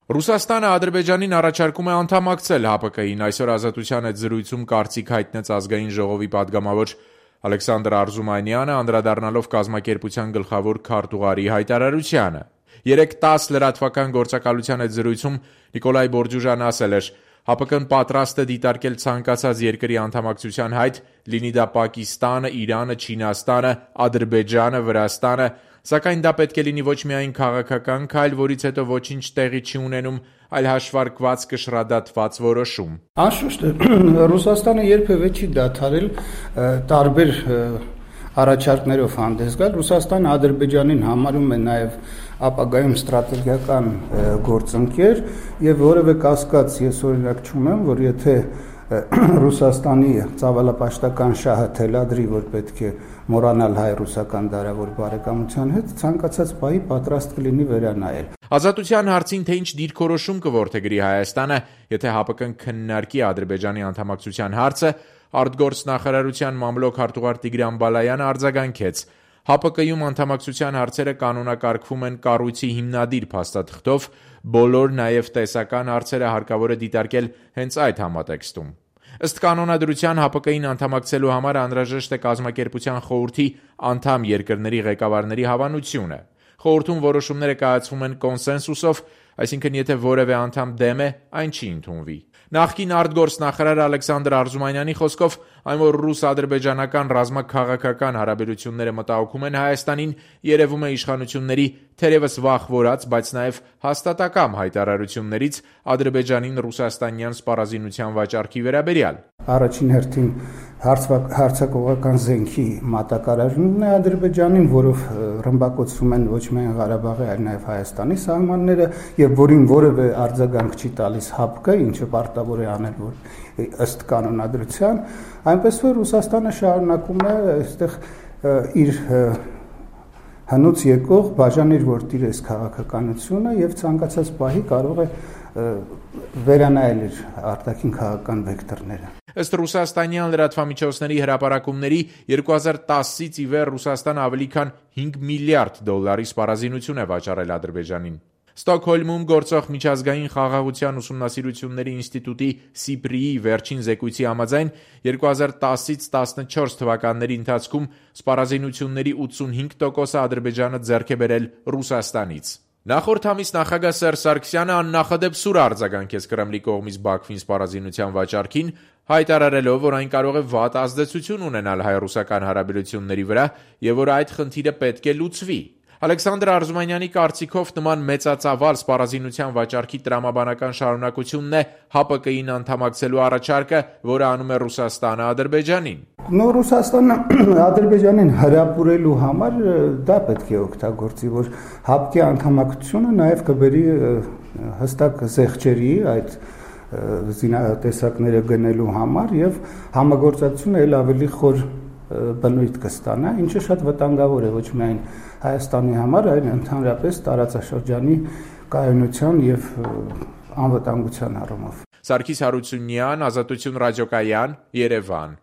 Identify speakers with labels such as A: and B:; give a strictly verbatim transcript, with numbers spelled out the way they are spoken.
A: Ռուսաստանը Ադրբեջանին առաջարկում է անդամակցել ՀԱՊԿ-ին, այսօր Ազատության հետ զրույցում կարծիք հայտնեց ազգային ժողովի պատգամավոր Ալեքսանդր Արզումանյանը, անդրադառնալով կազմակերպության գլխավոր քարտուղարի հայտարարությանը։ Երեկ տասը լրատվական գործակալության հետ զրույցում Նիկոլայ Բորջուժան ասել էր. ՀԱՊԿ-ն պատրաստ է դիտարկել ցանկացած երկրի անդամակցության հայտ, լինի դա Պակիստանը, Իրանը, Չինաստանը, Ադրբեջանը, Վրաստանը, սակայն դա պետք է լինի ոչ միայն քաղաքական քայլ, որից հետո ոչինչ տեղի չի ունենում, այլ հաշվարկված կշռադատված որոշում։
B: Անշուշտ Ռուսաստանը երբևէ չի դադարել տարբեր առաջարկներով հանդես գալ։ Ռուսաստանը Ադրբեջանին համարում է նաև ապագայում ստրատեգիական գործընկեր եւ որևէ կասկած ես օրինակ չունեմ, որ եթե Ռուսաստանի ծավալապաշտական շահը թելադրի, որ պետք է մոռանալ հայ-ռուսական դարավոր բարեկամության հետ, ցանկացած պահի պատրաստ կլինի վերանայել։
A: Ազատության հարցին թե ինչ դիրքորոշում կորդեգրի Հայաստանը, եթե ՀԱՊԿ-ն քննարկի Ադրբեջանի անդամակցության հարցը, արտգործնախարարության մամլոք հարտուղար Տիգրան Բալայանը արձագանքեց. ՀԱՊԿ-ում անդամակցության հարցերը կանոնակարգվում են կառույցի հիմնադիր փաստաթղթով, բոլոր նաև տեսական հարցերը հարկավոր է դիտարկել հենց այդ համատեքստում։ Ըստ կանոնադրության ՀԱՊԿ-ին անդամակցելու համար անհրաժեշտ է կազմակերպության խորհրդի անդամ երկրների ղեկավարների հավանությունը։ Խորհրդում որոշումները կայացվում են կոնսենսուսով, այսինքն եթե որևէ անդամ դեմ է, այն չի ընդունվի։ Նախկին արտգործնախարար Ալեքսանդր Արզումանյանի խոսքով, այն որ ռուս-ադրբեջանական ռազմաքաղաքական հարաբերությունները մտահոգում են Հայաստանին, երևում է իշխանությունների թերևս վախվորած, բայց նաև հաստատակամ հայտարարություններից Ադրբեջանին ռուսաստանյան սպառազինության վաճառքի վերաբերյալ։
B: Առաջին հերթին հարցակողական զենքի մատակարարումն է Ադրբեջանին, որով ռմբակոծվում են ոչ միայն Ղարաբաղի, այլ նաև Հայաստանի սահմանները, եւ որին որևէ արձագանք չի տալիս ՀԱՊԿ-ը, ինչը պարտավոր է անել, որ ըստ կանոնադրության, այնպես որ Ռուսաստանը շարունակում է այստեղ իր հնուց եկող բաժանիր որտիր այս քաղաքականությունը եւ ցանկացած պահի կարող է վերանայել իր արտաքին քաղաքական վեկտորները։
A: Ըստ ռուսաստանյան լրատվամիջոցների հրապարակումների երկու հազար տասից ի վեր Ռուսաստանը ավելի քան հինգ միլիարդ դոլարի սպառազինություն է վաճառել Ադրբեջանին։ Ստոկհոլմում գործող միջազգային խաղաղության ուսումնասիրությունների ինստիտուտի Սիպրիի վերջին զեկույցի համաձայն երկու հազար տասից տասնչորս թվականների ընթացքում սպառազինությունների ութսունհինգ տոկոսը Ադրբեջանը ձեռք է բերել Ռուսաստանից։ Նախորդ ամիս նախագահ Սերժ Սարգսյանը աննախադեպ սուր արձագանքեց Կրեմլի կողմից Բաքվին սպառազինության վաճառքին, հայտարարելով, որ այն կարող է վատ ազդեցություն ունենալ հայ-ռուսական հարաբերությունների վրա եւ որ այդ խնդիրը պետք է լուծվի։ Ալեքսանդր Արզումանյանի կարծիքով նման մեծածավալ սպառազինության վաճառքի տրամաբանական շարունակությունն է ՀԱՊԿ-ին անդամակցելու առաջարկը, որը անում է Ռուսաստանը Ադրբեջանին։
B: Նո Ռուսաստանը Ադրբեջանին հրապուրելու համար դա պետք է օգտագործի, որ ՀԱՊԿ-ի անդամակցությունը նաև կբերի հստակ զեղչերի այդ զինատեսակները գնելու համար եւ համագործակցությունը ել ավելի խոր բնույթ կստանա, ինչը շատ վտանգավոր է ոչ միայն Հայաստանի համար, այլ ընդհանրապես տարածաշրջանի կայունության եւ անվտանգության առումով։
A: Սարգիս Հարությունյան, Ազատություն ռադիոկայան, Երևան։